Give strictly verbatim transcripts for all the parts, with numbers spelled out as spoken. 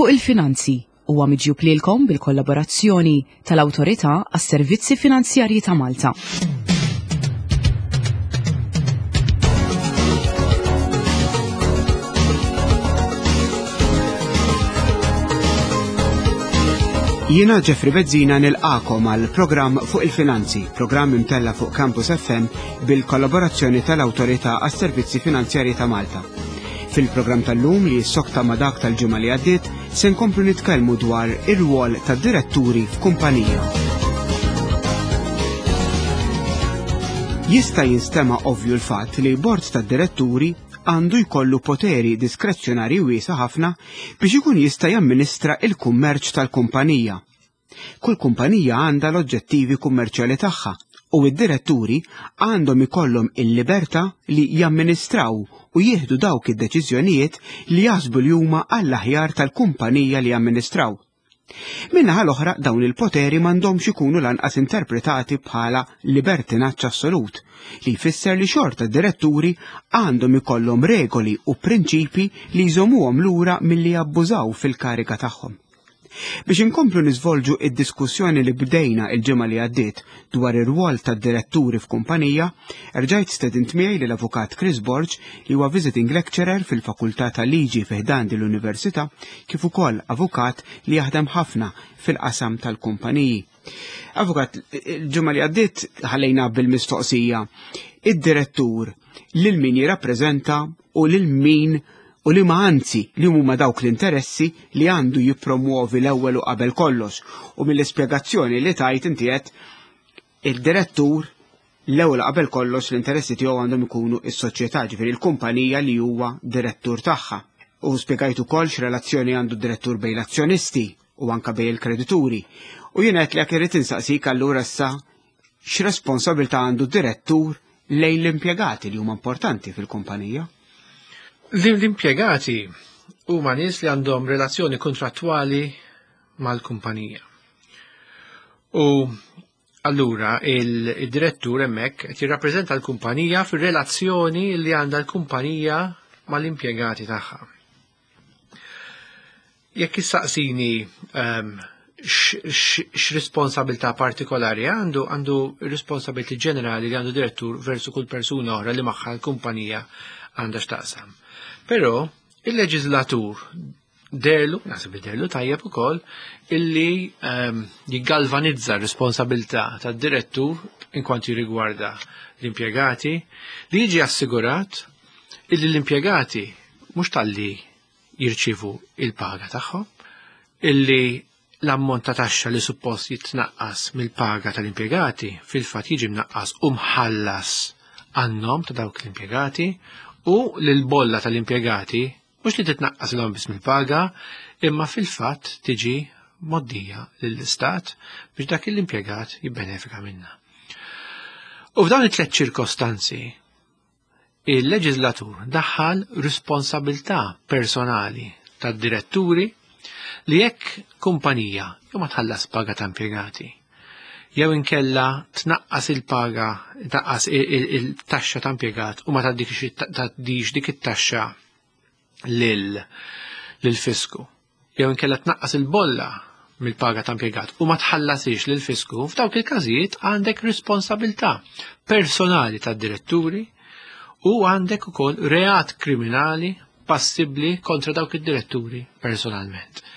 Fuq il-Finanzi huwa miġjub lilkom bil-kollaborazzjoni tal-Awtorità għas-Servizzi Finanzjarji ta' Malta. Jiena Jeffrey Bezzina nilqakom għal programm fuq il-finanzi, programm imtella fuq Campus F M bil-kollaborazzjoni tal-Awtorità għas-Servizzi Finanzjarji ta' Malta. Fil-programm tal-lum li jissokta ma' dak tal-ġimgħa li għaddiet, se nkomplu nitkellmu dwar ir-rwol tad-diretturi f'kumpanija. Jista' jinstema' ovvju l-fatt li bord tad-diretturi għandu jkollu poteri diskrezzjonari wiesa' ħafna biex ikun jista' jamministra il-kummerċ tal-kumpanija. Kull kumpanija għandha l-oġġettivi kummerċjali tagħha u id-diretturi għandhom ikollhom il-libertà li jamministraw u jieħdu dawk id-deċiżjonijiet li jaħsbu li huma għall-aħjar tal-kumpanija li jamministraw. Min-naħa l-oħra dawn il-poteri m'għandhomx ikunu lanqas interpretati bħala libertinaġġ assolut, li jfisser li xorta d-diretturi għandhom ikollhom regoli u prinċipi li jżommuhom lura milli jabbużaw fil-kariga tagħhom. Biex inkomplu niżvolġu id-diskussjoni li bdejna il-ġimgħa li għaddiet dwar ir-rwol tad-diretturi f'kumpanija, erġajt stedint miegħi lill avukat Chris Borg li huwa visiting lecturer fil-Fakultà tal-Liġi fi ħdan din l-Università, kif ukoll avukat li jaħdem ħafna fil-qasam tal-kumpaniji. Avukat, il-ġimgħa li għaddiet ħallejna bil-mistoqsija id-direttur lil min jirrappreżenta u lil min u li ma anzi li huma dawk l-interessi li għandu jippromuovi l-ewwel u qabel kollox. U mill-ispjegazzjoni li tajt inti qed il-direttur l-ewwel u qabel kollox l-interessi tiegħu għandhom ikunu s-soċjetà, ġifieri l-kumpanija li huwa direttur tagħha. U spjegajt ukoll x'relazzjoni għandu d-direttur bejn l-azzjonisti u anke bejn il-kredituri. U jien qed li jekk irid insaqsik allura issa x'responsabilità għandu d-direttur lejn l-impjegati li huma importanti fil-kumpanija. L-impjegati huma nies li għandhom relazzjoni kontrattwali mal-kumpanija. U allura il-, il-direttur hemmhekk qed jirrappreżenta l-kumpanija fir-relazzjoni li għandha l-kumpanija mal-impjegati tagħha. Jekk issaqsini, ehm, x-, x-, x'responsabilità partikolari għandu, għandu responsabilità ġenerali li għandu direttur versu kull persuna oħra li magħha l-kumpanija għandha x'taqsam. Però il-leġislatur derlu, naħseb li derlu tajjeb ukoll, illi, ehm, jiggalvanizza r-responsabilità tad-direttur inkwantu jirrigwarda l-impjegati, li jiġi assigurat illi l-impjegati mhux talli jirċievu il-paga tagħhom, illi l-ammont ta' taxxa li suppost jitnaqqas mill-paga tal-impjegati fil-fatt jiġi mnaqqas u mħallas għan-nom ta' dawk l-impjegati, u l-bolla tal-impjegati mhux li titnaqqas l-hom biss mill-paga, imma fil-fatt tiġi moddija lill-istat biex dak l-impjegat jibbenefika minnha. U f'dawn it-tliet ċirkostanzi, il-leġislatur daħħal responsabilità personali tad-diretturi li jekk kumpanija jew ma tħallas paga ta' impjegati, jew inkella tnaqqas il-paga, tnaqqas il-, il-, il-taxxa ta' impjegat u ma tgħaddix, tgħaddix dik it-taxxa lil, lil-fisku, jew inkella tnaqqas il-bolla mill-paga ta' impjegat u ma tħallasix lil-fisku, f'dawk il-każijiet għandek responsabilità personali tad-diretturi u għandek ukoll reat kriminali passibbli kontra dawk id-diretturi personalment.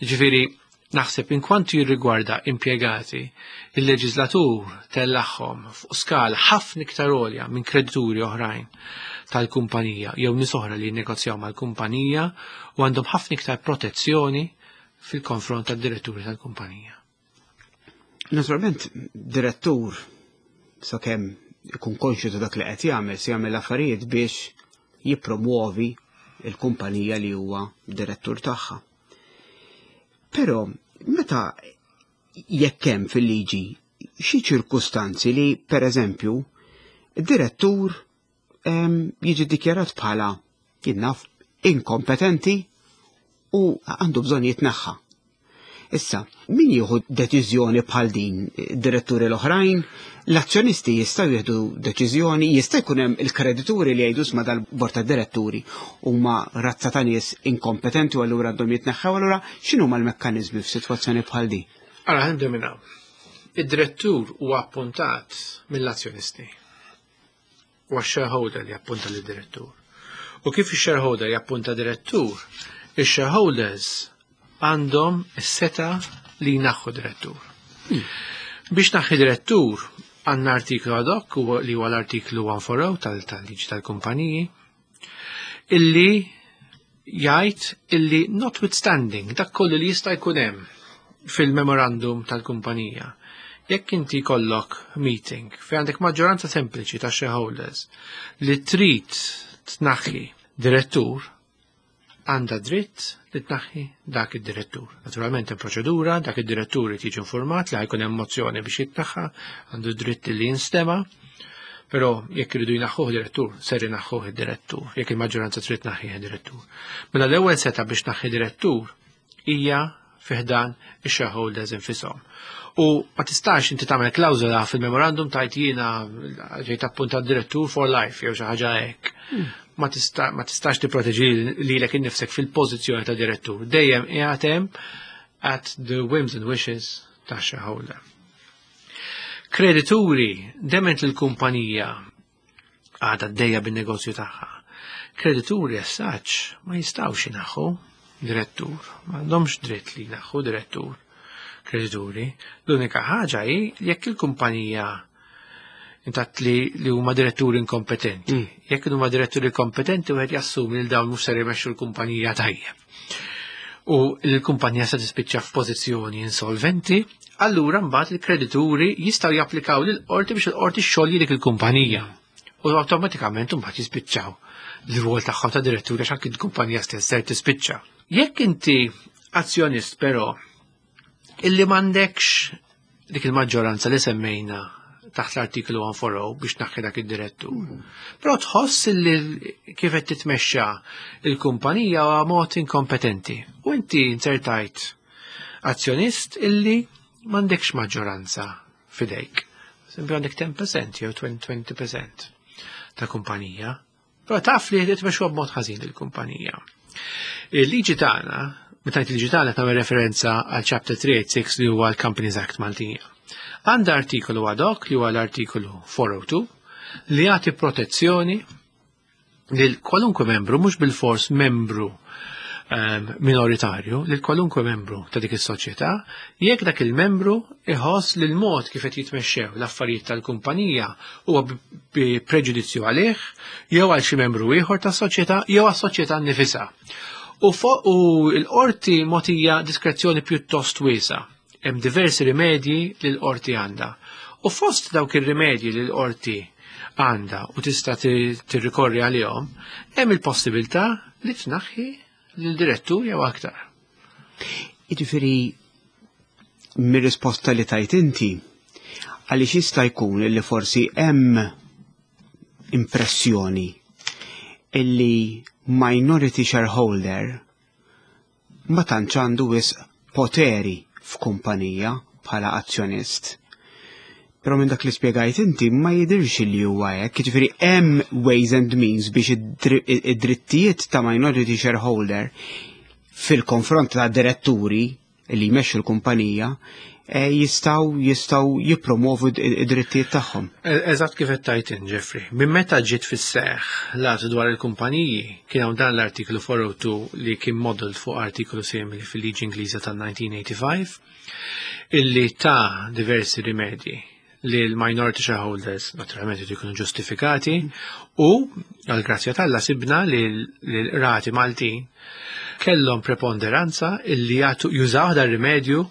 Ġifieri, naħseb inkwantu jirrigwarda impjegati, il-leġislatur tellagħhom fuq skala ħafna iktar għolja minn kredituri oħrajn tal-kumpanija jew nies oħra li jinnegozjaw mal-kumpanija u għandhom ħafna iktar protezzjoni fil-konfront tad-diretturi tal-kumpanija. Naturalment, direttur sakemm ikun konxju ta' dak li qed jagħmel, se jagħmel affarijiet biex jippromuovi il-kumpanija li huwa direttur tagħha. Però meta jekk hemm fil-liġi xi ċirkustanzi li, per eżempju, id-direttur, ehm, jiġi ddikjarat bħala jinnaf inkompetenti u għandu bżonn jitneħħa. Issa, min jieħu deċiżjoni bħal din? Diretturi l-oħrajn? L-azzjonisti jistgħu jieħdu deċiżjoni, jista' jkun hemm il-kredituri li jgħidu isma' dal-bord ta' diretturi huma razza ta' nies inkompetenti u allura għandhom jitneħħew, allura x'inhuma l-mekkaniżmi f'sitwazzjoni bħal din? Ara, ħa nibdew. Id-direttur huwa appuntat mill-azzjonisti. Huwa shareholder li appunta lid-direttur. U kif il-shareholder jappunta direttur, il-shareholders għandhom is-setgħa li jnaħħu direttur. Hmm. Biex tneħħi direttur għandna artiklu ad hoc li huwa l-artiklu cent forty tal-liġi tal-kumpaniji illi jgħid illi notwithstanding dak kollu li jista' jkun hemm fil-memorandum tal-kumpanija, jekk inti jkollok meeting fejn għandek maġġoranza sempliċi ta' shareholders li trid tnaħħi direttur, għandha dritt li tnaħħi dak id-direttur. Naturalment hemm proċedura, dak id-direttur jiġi informat li ħa jkun hemm mozzjoni biex jitnaħħa, għandu dritt li jinstema, però jekk iridu jnaħħuh direttur, ser jnaħħuh id-direttur, jekk il-maġġoranza trid tnaħħih id-direttur. Mela l-ewwel setgħa biex tnaħħi direttur hija fi ħdan ix-shareholders infushom. U ma tistax inti tagħmel klawżola fil-memorandum tgħid jiena ġejt appuntat direttur for life jew xi ħaġa hekk. Hmm. Ma tista, ma tistax tipproteġi lilek innifsek fil-pożizzjoni ta' direttur. Dejjem qiegħed hemm at the whims and wishes ta' shareholder. Kredituri, dement l-kumpanija għadha għaddejja bin-negozju tagħha. Kredituri as such ma jistgħux jnaħħu direttur, m'għandhomx dritt li jnaħħu direttur kredituri. L-unika ħaġa hi jekk il-kumpanija intat li li huma diretturi inkompetenti. Mm. Jekk huma diretturi kompetenti, wieħed jassumi li dawn mhux ser jmexxu l-kumpanija tajjeb. U l-kumpanija se tispiċċa f'pożizzjoni insolventi, allura mbagħad il-kredituri jistgħu japplikaw lill-qorti biex il-qorti xxolji dik il-kumpanija. U awtomatikament mbagħad jispiċċaw l-rwol tagħhom ta' diretturi għax anki l-kumpanija stess ser tispiċċa. Jekk inti azzjonist però illi m'għandekx dik il-maġġoranza li semmejna taħt l-artiklu cent forty biex tnaħħi dak id-direttur. Mm. Però tħoss li kif qed titmexxa il-kumpanija huwa mod inkompetenti. U inti inzertajt azzjonist illi m'għandekx maġġoranza fidejk. Sempli għandek ten percent jew twenty percent ta' kumpanija. Però taf li qed tmexxu b'mod ħażin il-kumpanija. Il-liġi tagħna, meta il-liġi tagħna tagħmel referenza għal Chapter three eighty-six li huwa l-Companies Act Maltija. Għandha artikolu ad hoc li huwa l-artikolu four oh two li jagħti protezzjoni lil kwalunkwe membru, mhux bil-fors membru um, minoritarju, lil kwalunkwe membru ta' dik is-soċjetà, jekk dak il-membru iħoss li l-mod kif qed jitmexxew l-affarijiet tal-kumpanija huwa bi preġudizzju għalih, jew għal xi membru ieħor tas-soċjetà, jew għas-soċjetà nnifisha. U, u l-qorti mogħtija diskrezzjoni pjuttost wiesa. Hemm diversi rimedji li l-qorti għandha. U fost dawk ir-rimedji li l-qorti għandha u tista' tirrikorri għalihom, hemm il-possibilità li tnaħħi lill-direttur jew aktar. Jiġifieri mir-risposta li tajt inti, għaliex jista' jkun li forsi hemm impressjoni illi minority shareholder ma tantx għandu wisq poteri f'kumpanija bħala azzjonist. Però minn dak li spjegajt inti ma jidirx li huwa hekk, jiġifieri hemm ways and means biex id-drittijiet ta' minority shareholder fil-konfront ta' diretturi li jmexxu l-kumpanija eh, jistgħu jistgħu jippromovu id-drittijiet tagħhom. E, eżatt kif qed tgħid, Jeffrey. Minn meta ġiet fis-seħħ l-att dwar il-kumpaniji kien hawn dan l-artiklu four oh two li kien model fuq artiklu simili fil-liġi Ingliża tal-elf disa' mija tmienja u ħamsin illi ta' diversi rimedji li l-minority shareholders naturalment jkunu ġustifikati u għal-grazzja t'Alla sibna li l-qrati Maltin kellhom preponderanza illi jagħtu jużaw dan rimedju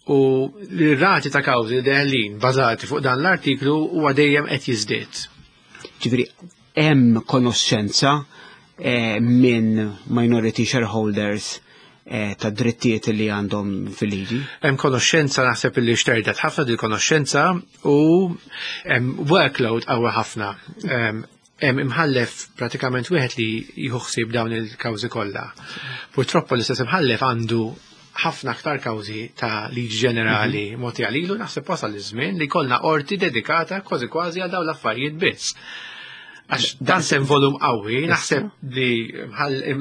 u l-rati ta' kawżi deħlin bażati fuq dan l-artiklu huwa dejjem qed jiżdied. Ġifieri hemm konoxxenza eh, minn minority shareholders eh, ta' drittijiet li għandhom fil-liġi? Hemm konoxxenza, naħseb li xterdet ħafna din konoxxenza u hemm workload qawwi ħafna. Hemm imħallef pratikament wieħed li jieħu ħsieb dawn il-kawżi kollha. Purtroppo l-istess imħallef għandu Ħafna aktar kawżi ta' liġi ġenerali mm -hmm. mogħti għalilu. Naħseb wasal iż-żmien li jkollna qorti dedikata kważi kważi għal dawn l-affarijiet biss. Għax dan sem volum qawwi, naħseb li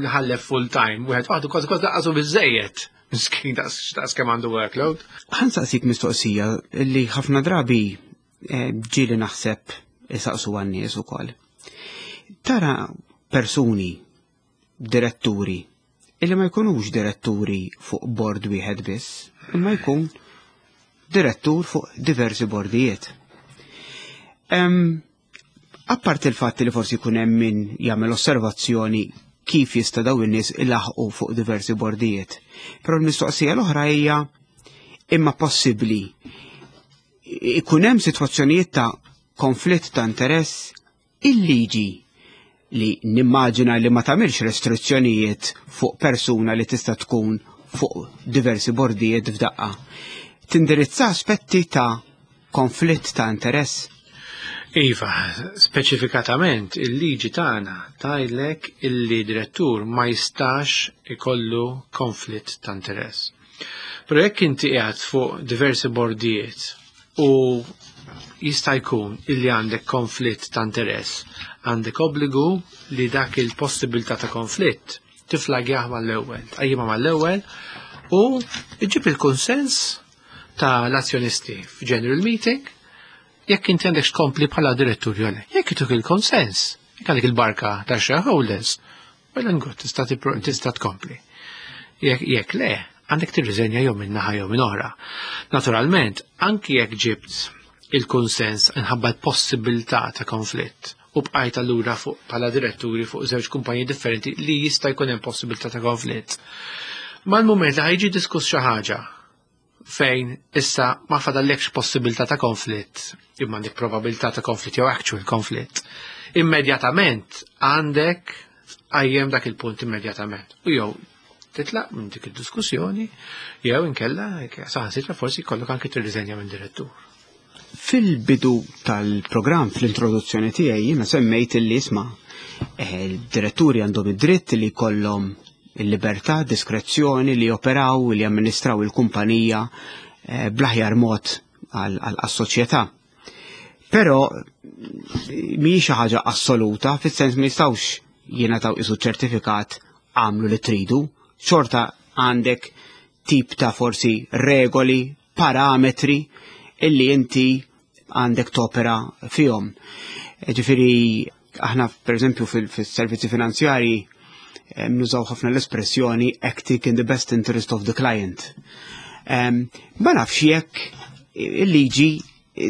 mħallef full time, wieħed waħdu kważi kważi lanqas hu biżejjed. Miskin, daqs kemm għandu workload. Ħa nsaqsik mistoqsija li ħafna drabi eh, ġieli naħseb isaqsu għan-nies ukoll. Tara persuni, diretturi, illi ma jkunux diretturi fuq bord wieħed biss, imma jkun direttur fuq diversi bordijiet. Um, Apart il-fatt li forsi jkun hemm min jagħmel osservazzjoni kif jista' daw in-nies ilaħqu fuq diversi bordijiet. Però l-mistoqsija l-oħra hija, imma possibbli ikun hemm sitwazzjonijiet ta' konflitt ta' interess? Il-liġi, li nimmaġina li ma tagħmilx restrizzjonijiet fuq persuna li tista' tkun fuq diversi bordijiet f'daqqa, tindirizza aspetti ta' konflitt ta' interess? Iva, speċifikatament il-liġi tagħna tgħidlek illi direttur ma jistax ikollu konflitt ta' interess. Però jekk inti qiegħed fuq diversi bordijiet u jista' jkun illi għandek konflitt ta' interess, għandek obbligu li dak il-possibilità ta' konflitt tiflagjah mal-ewwel, tqajjimha mal-ewwel u iġib il-konsens ta' l-azzjonisti f'general meeting jekk inti għandek tkompli bħala direttur jew le. Jekk ituk il-konsens, jekk għandek il-barka ta' shareholders, well and good, tista' tista' tkompli. Jekk jekk le, għandek tirriżenja jew minn naħa jew minn oħra. Naturalment, anki jekk ġibt il-konsens minħabba l-possibilità ta' konflitt u bqajt allura fuq bħala diretturi fuq żewġ kumpanji differenti li jista' jkun hemm possibilità ta' konflitt. Mal-mument li ħa jiġi diskuss xi ħaġa fejn issa ma fadallekx possibilità ta' konflitt, imma għandek probabilità ta' konflitt jew actual konflitt, immedjatament għandek tqajjem dak il-punt immedjatament. U jew titlaq minn dik id-diskussjoni, jew inkella saħansitra forsi jkollok anke tirriżenja minn direttur. Fil-bidu tal-programm, fl-introduzzjoni tiegħi, jiena semmejt li isma' eh, il-diretturi għandhom id-dritt li jkollhom il-libertà, diskrezzjoni li operaw, li amministraw il-kumpanija eh, bl-aħjar mod għal-soċjetà. Però mhijiex xi ħaġa assoluta, fis-sens ma jistgħux jingħataw isu ċertifikat għamlu li tridu, xorta għandek tip ta' forsi regoli, parametri illi inti għandek topera fihom. Ġifieri, aħna per eżempju fil-servizzi finanzjari nużaw ħafna l-espressjoni "acting in the best interest of the client". Ma nafx jekk il-liġi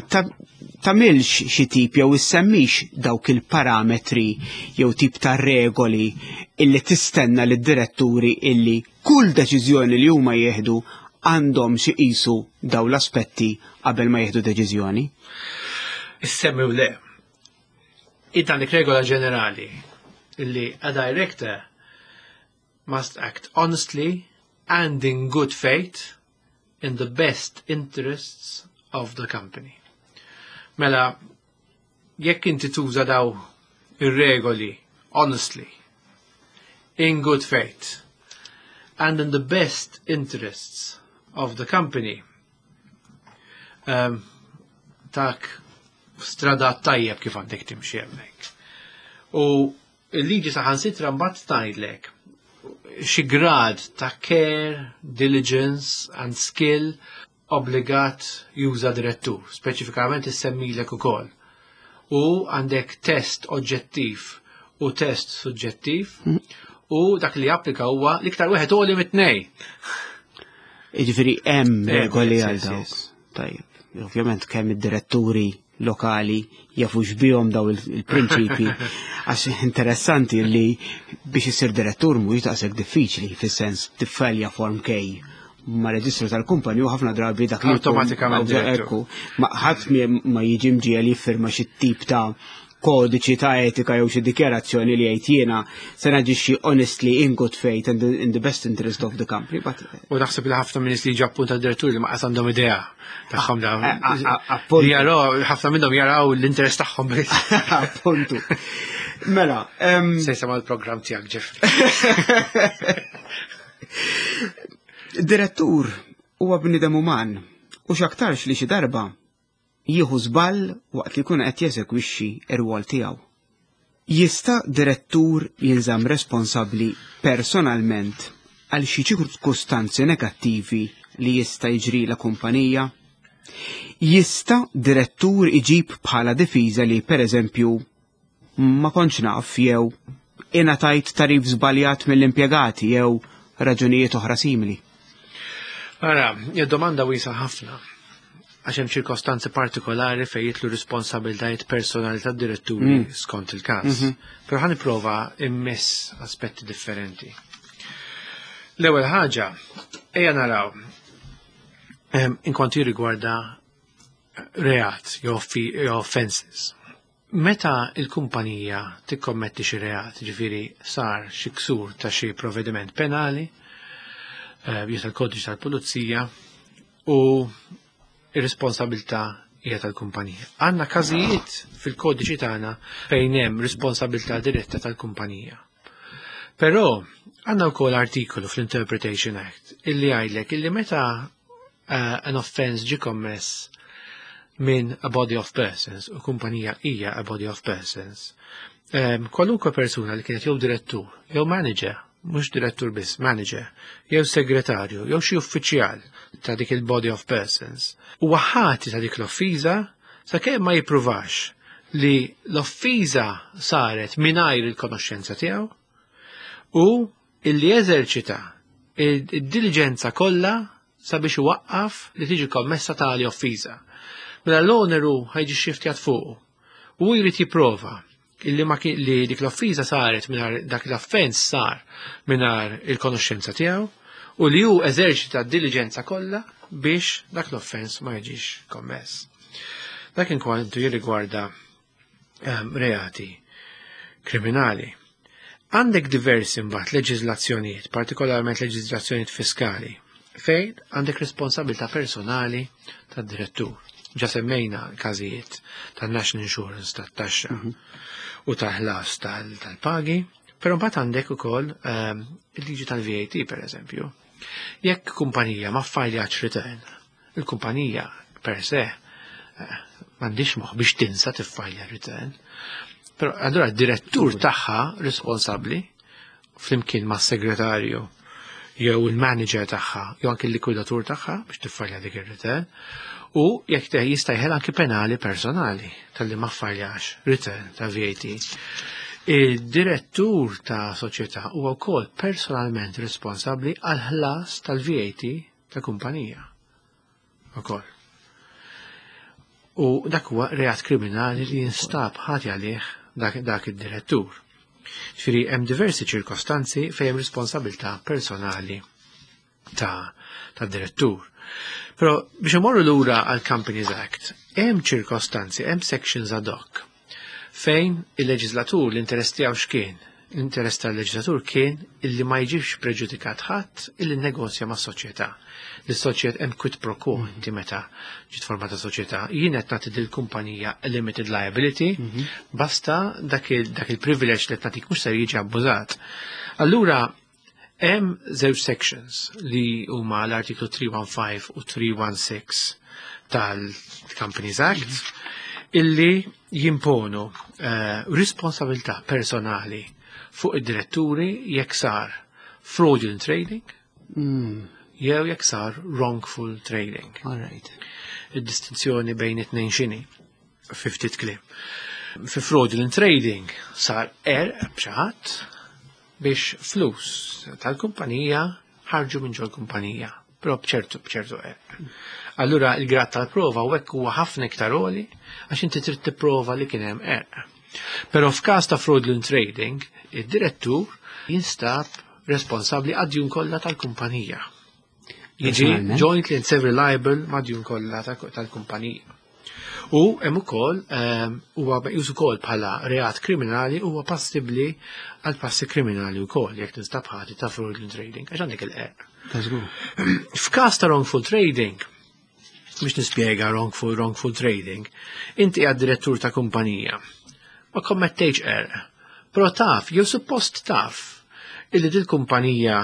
tagħmilx xi tip jew issemmix dawk il-parametri jew tip ta' regoli illi tistenna lid diretturi illi kull deċiżjoni li huma jieħdu għandhom xi qisu daw l-aspetti qabel ma jieħdu deċiżjoni. Issemmi u le. Int għandek regola ġenerali illi a director must act honestly and in good faith in the best interests of the company. Mela, jekk inti tuża daw ir-regoli honestly, in good faith, and in the best interests of the company, um, tak strada tajjeb kif għandek timxi hemmhekk. U il-liġi saħansitra mbagħad tgħidlek xi grad ta' care, diligence and skill obbligat juża direttur, speċifikament issemmilek ukoll. U għandek test oġġettiv u test suġġettiv u dak li applika huwa l-iktar wieħed għoli mit-tnej. Jiġifieri hemm regoli għal yes, dawk. yes. Tajjeb, ovvjament kemm id-diretturi lokali jafux bihom daw il-prinċipi, għax interessanti li biex isir direttur mhuwiex daqshekk diffiċli, fis-sens tiffilja form K ma' reġistru tal-kumpani u ħafna drabi dak li jkun- Awtomatikament direttur. Ekku, ma ħadd ma jiġi mġiegħel jiffirma xi tip ta' kodiċi ta' etika jew xi dikjarazzjoni li jgħid jiena se naġixxi honestly, in good faith and in the best interest of the company. But U naħseb li ħafna minn nies li jiġu appunta direttur li ma qas għandhom idea tagħhom dawn. A- a- a- appuntu. Li jaraw, ħafna minnhom jaraw l-interess tagħhom biss. Appuntu. Mela, em, Se jisema' l-programm tiegħek, Jeffrey. Direttur huwa bniedem uman u x'aktarx li xi darba jieħu żball waqt li jkun qed jeżegwixxi r-rwol tiegħu. Jista' direttur jinżamm responsabbli personalment għal xi ċirkustanzi negattivi li jista' jiġri la kumpanija? Jista' direttur iġib bħala difiża li pereżempju ma kontx naf jew ingħatajt tagħrif żbaljat mill-impjegati jew raġunijiet oħra simili? Ara, domanda wiesgħa ħafna. Għax hemm ċirkostanzi partikolari fejn jidħlu responsabbiltajiet personali tad-diretturi mm. skont il-każ. Mm -hmm. Però ħa nipprova immiss aspetti differenti. L-ewwel ħaġa, ejja naraw inkwantu jirrigwarda reat jew offenses. Meta il-kumpanija tikkommetti xi reat, ġifieri sar xi ksur ta' xi provvediment penali, eh, jew tal-kodiċi tal-pulizija u ir-responsabilità hija tal-kumpanija. Għandna każijiet fil-kodiċi tagħna fejn hemm responsabilità diretta tal-kumpanija. Però għandna wkoll artikolu fl-Interpretation Act illi jgħidlek illi meta uh, an offense ġi kommess minn a body of persons u kumpanija hija a body of persons. Um, kwalunkwe persuna li kienet jew direttur, jew manager, mhux direttur biss, manager, jew segretarju, jew xi uffiċjal ta' dik il-body of persons, huwa ħati ta' dik l-offiża sakemm ma jippruvax li l-offiża saret mingħajr il-konoxxenza tiegħu u illi eżerċita id-diligenza kollha sabiex iwaqqaf li tiġi kommessa tali offiża. Mela l-oneru ħa jiġi xiftjat fuqu. U jrid jipprova illi ma kien li dik l-offiża saret mingħajr dak l-offens sar mingħajr il-konoxxenza tiegħu u li hu eżerċita d-diligenza kollha biex dak l-offens ma jiġix kommess. Dak inkwantu jirrigwarda um, reati kriminali. Għandek diversi mbagħad leġiżlazzjonijiet, partikolarment leġiżlazzjonijiet fiskali, fejn għandek responsabilità personali tad-direttur. Ġa semmejna każijiet tan-National Insurance tat-taxxa mm -hmm. u tal-ħlas tal-pagi, però mbagħad għandek ukoll um, il-liġi tal-V A T per eżempju. Jekk kumpanija ma ffajljax return, il-kumpanija per se eh, m'għandix moħħ biex tinsa tiffajlja return. Però allura d-direttur tagħha responsabbli flimkien ma' segretarju jew il-manager tagħha jew anke l-likwidatur tagħha biex tiffajlja dik ir-return u jekk jista' jeħel anke penali personali talli ma ffajljax return ta' V A T. Il-direttur ta' soċjetà huwa wkoll personalment responsabbli għal ħlas tal-V A T ta' kumpanija. Ukoll. U dak huwa reat kriminali li jinstab ħati għalih dak, dak id-direttur. Ġifieri hemm diversi ċirkostanzi fejn hemm responsabilità personali ta' ta' direttur. Però biex imorru lura għal Companies Act, hemm ċirkostanzi, hemm sections ad hoc fejn il-leġislatur l-interess tiegħu x'kien? L-interess tal-leġislatur kien illi ma jiġix preġudikat ħadd illi negozja ma' soċjetà. L-soċjetà hemm quid pro quo inti meta ġiet formata soċjetà. Jien qed nagħti dil-kumpanija limited liability, basta dak il-privileġġ li qed nagħtik mhux ser jiġi abbużat. Allura hemm żewġ sections li huma l-artiklu tlieta u ħamsin u tlieta u għoxrin tal-Companies Act illi jimponu uh, responsabilità personali fuq id-diretturi jekk sar fraudulent trading mm. jew jekk sar wrongful trading. All right. Id-distinzjoni bejn it-tnejn x'inhi fi ftit kliem? Fi fraudulent trading sar qerq b'xi ħadd biex flus tal-kumpanija ħarġu minn ġol-kumpanija, però bċertu bċertu qerq. Allura il-grad tal-prova u hekk huwa ħafna iktar għoli għax inti trid tipprova li kien hemm qerq. Però f'każ ta' fraudulent trading, id-direttur jinstab responsabbli għad-djun kollha tal-kumpanija. Jiġi jointly and severally liable mad-djun kollha tal-kumpanija. U hemm ukoll ehm, huwa meqjus ukoll bħala reat kriminali, huwa passibbli għal passi kriminali wkoll jekk tinstab ħati ta' fraudulent trading għax għandek il-qerq. F'każ ta' wrongful trading, biex nispjega wrongful wrongful trading, inti għad direttur ta' kumpanija. Ma kommettejx qerq, però taf, jew suppost taf, illi dil kumpanija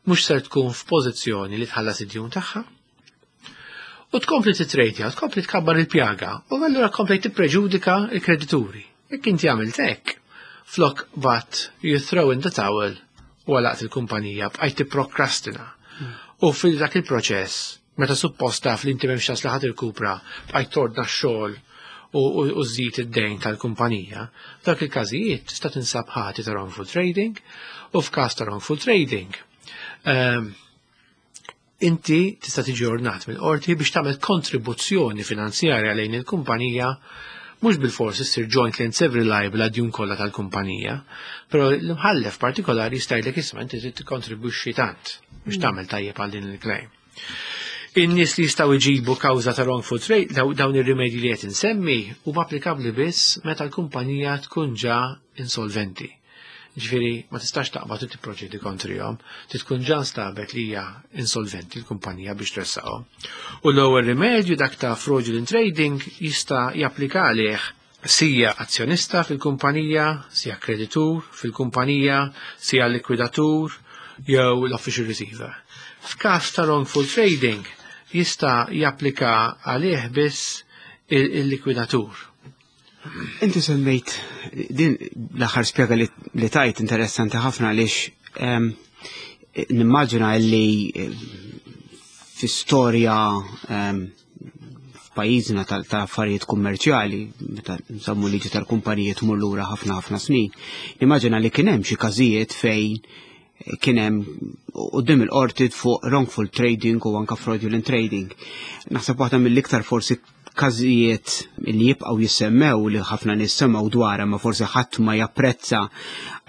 mhux ser tkun f'pożizzjoni li tħallas id-djun tagħha. U tkompli titrejdja, tkompli tkabbar il-pjaga, u allura tkompli tippreġudika il-kredituri. Jekk inti għamilt hekk, flok but you throw in the towel u għalaqt il-kumpanija, bqajt tipprokrastina. U fil dak il-proċess, meta suppost taf li inti m'hemmx ċans li ħadd irkupra, bqajt tordna x-xogħol u u żżid id-dejn tal-kumpanija, f'dak il-każijiet tista' tinsab ħati ta' wrongful trading u f'każ ta' wrongful trading. Ehm, inti tista' tiġi ordnat mill-qorti biex tagħmel kontribuzzjoni finanzjarja lejn il-kumpanija, mhux bil-fors issir jointly and severally liable għad-djun kollha tal-kumpanija, però l-imħallef partikolari jista' jgħidlek, "Isma', inti trid tikkontribwixxi tant biex tagħmel tajjeb għal din il-claim." In-nies li jistgħu jġibu kawża ta' wrongful trade, daw- dawn ir-rimedji li qed insemmi huma applikabbli biss meta l-kumpanija tkun ġa insolventi. Ġifieri ma tistax taqbad u tipproċedi kontrihom, trid tkun ġa nstabet li hija insolventi l-kumpanija biex tressaqhom. U l-ewwel rimedju, dak ta' fraudulent trading, jista' japplika għalih sija azzjonista fil-kumpanija, sija kreditur fil-kumpanija, sija likwidatur jew l-official receiver. F'każ ta' wrongful trading jista' japplika għalih biss il-likwidatur. Inti semmejt din l-aħħar spjega li, li tajt interessanti ħafna għaliex em, nimmaġina li eh, fi storja em, f'pajjiżna tal- ta' affarijiet kummerċjali, meta nsemmu liġi tal-kumpanijiet tmur lura ħafna ħafna snin, nimmaġina li kien hemm xi każijiet fejn kien hemm quddiem il-qorti fuq wrongful trading u anka fraudulent trading. Naħseb waħda mill-iktar forsi każijiet li jibqgħu jissemmew, li ħafna nies semgħu dwarha ma forsi ħadd ma japprezza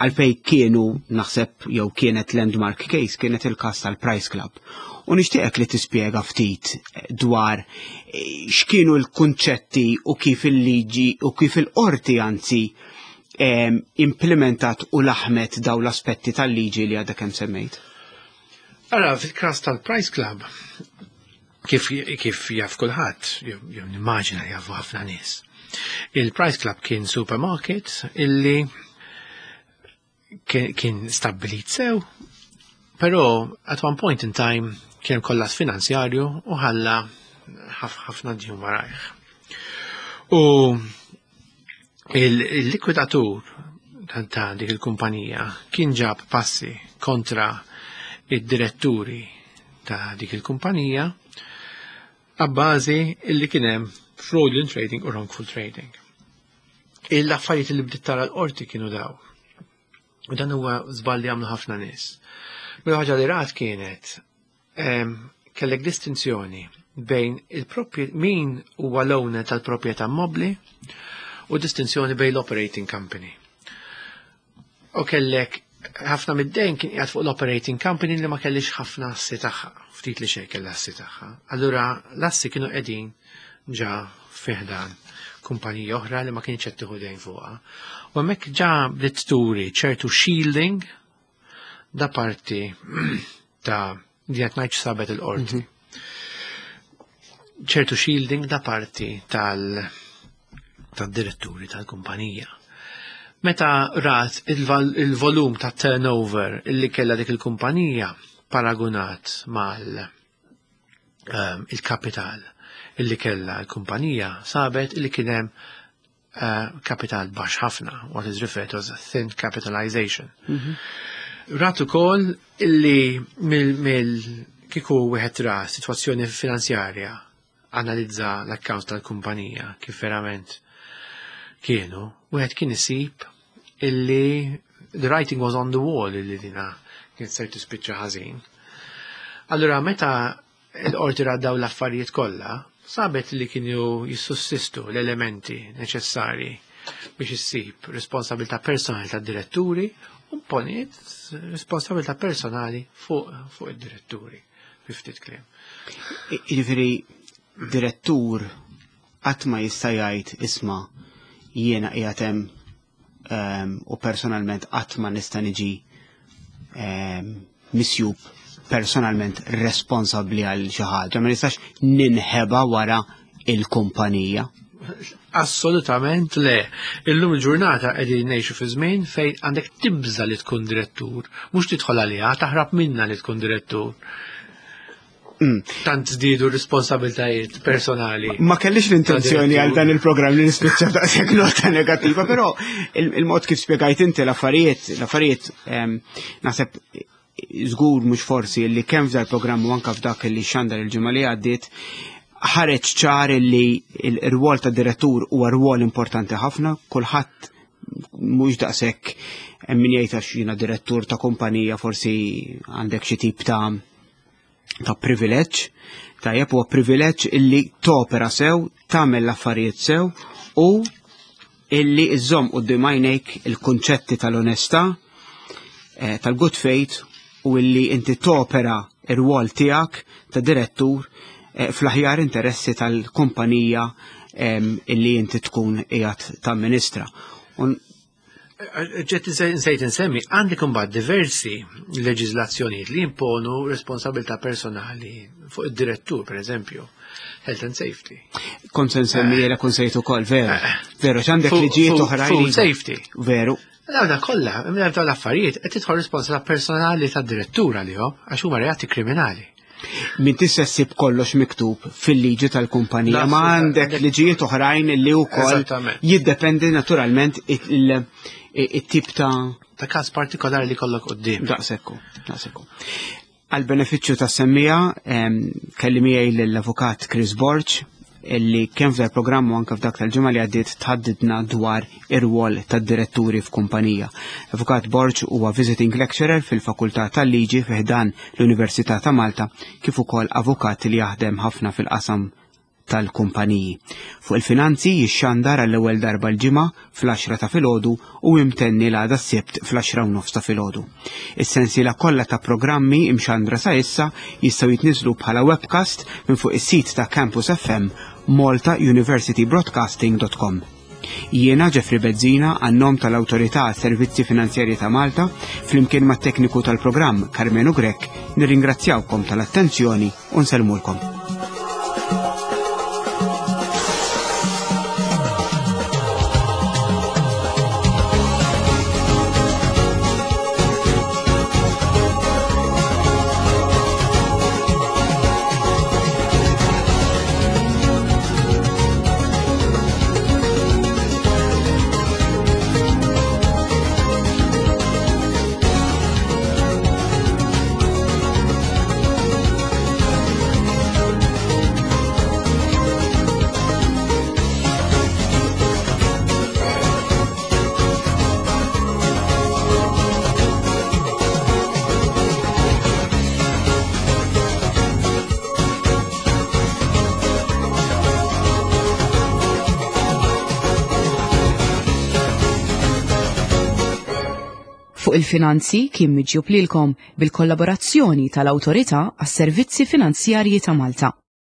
għalfej kienu, naħseb, jew kienet landmark case, kienet il-każ tal-Price Club. U nixtieqek li tispjega ftit dwar eh, x'kienu l-kunċetti u kif il-liġi u kif il-qorti anzi em, implementat u laħmet daw l-aspetti tal-liġi li għadha kemm semmejt. Ara, fil-każ tal-Price Club, kif, kif jaf kulħadd, jew jew nimmaġina jafu ħafna nies. Il-Price Club kien supermarket illi kien, kien stabbilit sew, però at one point in time kien kollass finanzjarju u ħalla ħafna djun warajh. U il-likwidatur ta' dik il-kumpanija kien ġab passi kontra id-diretturi ta' dik il-kumpanija għabbażi illi kien hemm fraudulent trading u wrongful trading. Il-affarijiet li bdiet tara l-qorti kienu daw. U dan huwa żball li għamlu ħafna nies. Mela ħaġa li rat kienet kellek distinzjoni bejn il min huwa l-owner tal-proprjetà mobbli u distinzjoni bejn l-operating company. U kellek ħafna mid-dejn kien qiegħed fuq l-operating company li ma kellix ħafna assi tagħha, ftit li xejn kellha assi tagħha. Allura l-assi kienu qegħdin ġa fi ħdan kumpanija oħra li ma kienx qed tieħu dejn fuqha. U hemmhekk ġa bdiet turi ċertu shielding da parti ta' di qed ngħid sabet il-qorti. Ċertu shielding da parti tal tad-diretturi tal-kumpanija. Meta rat il-volum ta' turnover illi kella dik il-kumpanija paragunat mal um, il-kapital illi kella l-kumpanija, sabet illi kien hemm uh, kapital baxx ħafna, what is referred to as a thin capitalization. Mm -hmm. Rat ukoll illi mill, mill kieku wieħed ra sitwazzjoni finanzjarja, analizza l-account tal-kumpanija kif verament kienu, wieħed kien isib illi the writing was on the wall illi dina kien ser tispiċċa ħażin. Allura meta l-qorti daw l-affarijiet kollha, sabet li kienu jissussistu l-elementi neċessari biex issib responsabilità personali tad-diretturi u poniet responsabilità personali fuq fuq id-diretturi, fi ftit kliem. Jiġifieri direttur qatt ma jista' jgħid, "Isma', jiena qiegħed hemm um, u personalment qatt ma nista' niġi um, misjub personalment responsabbli għal xi ħaġa, ma nistax ninħeba wara il-kumpanija." Assolutament le. Illum il-ġurnata qegħdin ngħixu fi żmien fejn għandek tibża li tkun direttur, mhux tidħol għaliha, taħrab minna li tkun direttur. Mm. Tant żdiedu responsabiltajiet personali. Ma kellix l-intenzjoni għal dan il-programm li nispiċċa daqshekk nota negattiva, però il-mod kif spjegajt inti l-affarijiet, l-affarijiet naħseb żgur mhux forsi li kemm f'dal programm u anke f'dak li xandar il-ġimgħa li għaddiet ħareġ ċar li r-rwol ta' direttur huwa rwol importanti ħafna, kulħadd mhux daqshekk hemm min jgħid għax jiena direttur ta' kumpanija forsi għandek xi tip ta' ta' privileġġ, tajjeb huwa privileġġ illi topera sew, tagħmel l-affarijiet sew u illi iżżomm quddiem għajnejk il-kunċetti tal-onestà, eh, tal-good faith u illi inti topera ir-rwol tiegħek ta' direttur eh, fl-aħjar interessi tal-kumpanija illi inti tkun qiegħed tamministra. Ġet nsejt insemmi, għandek imbagħad diversi leġiżlazzjonijiet li imponu responsabilità personali fuq id-direttur, per eżempju, health and safety. Kont se nsemmi jela kont sejt ukoll, veru. Veru, x'għandek liġijiet oħrajn. Food safety. Veru. Dawna kollha, minn dawn l-affarijiet qed tidħol responsabilità personali tad-direttur għalihom għax huma reati kriminali. Min tista' ssib kollox miktub fil-liġi tal-kumpanija, ma għandek liġijiet oħrajn li wkoll jiddependi naturalment it-tip ta' ta' każ partikolari li kollok quddiem. Daqsekku, daqsekku. Għal benefiċċju ta' semmija, kelli miegħi l-avukat Chris Borg, illi kemm f'dal programm u anke f'dak tal-ġimgħa li għaddiet tħaddidna dwar ir-rwol tad-diretturi f'kumpanija. Avukat Borg huwa visiting lecturer fil-Fakultà tal-Liġi fi ħdan l-Università ta' Malta kif ukoll avukat li jaħdem ħafna fil-qasam tal-kumpaniji. Fuq il-finanzi jixxandar għall-ewwel darba l-ġimgħa fl-għaxra ta' filgħodu u imtenni l-għada s-Sibt fl-għaxra u nofs ta' filgħodu. Is-sensiela kollha ta' programmi imxandra sa issa jistgħu jitniżlu bħala webcast minn fuq is-sit ta' Campus F M malta university broadcasting dot com. Jiena Jeffrey Bezzina għan-nom tal-Awtorità għas-Servizzi Finanzjarji ta' Malta flimkien mat-tekniku tal-programm Carmenu Grech nirringrazzjawkom tal-attenzjoni u nsellmulkom. Fuq il-finanzi kien miġjub lilkom bil-kollaborazzjoni tal-Awtorità għas-Servizzi Finanzjarji ta' Malta.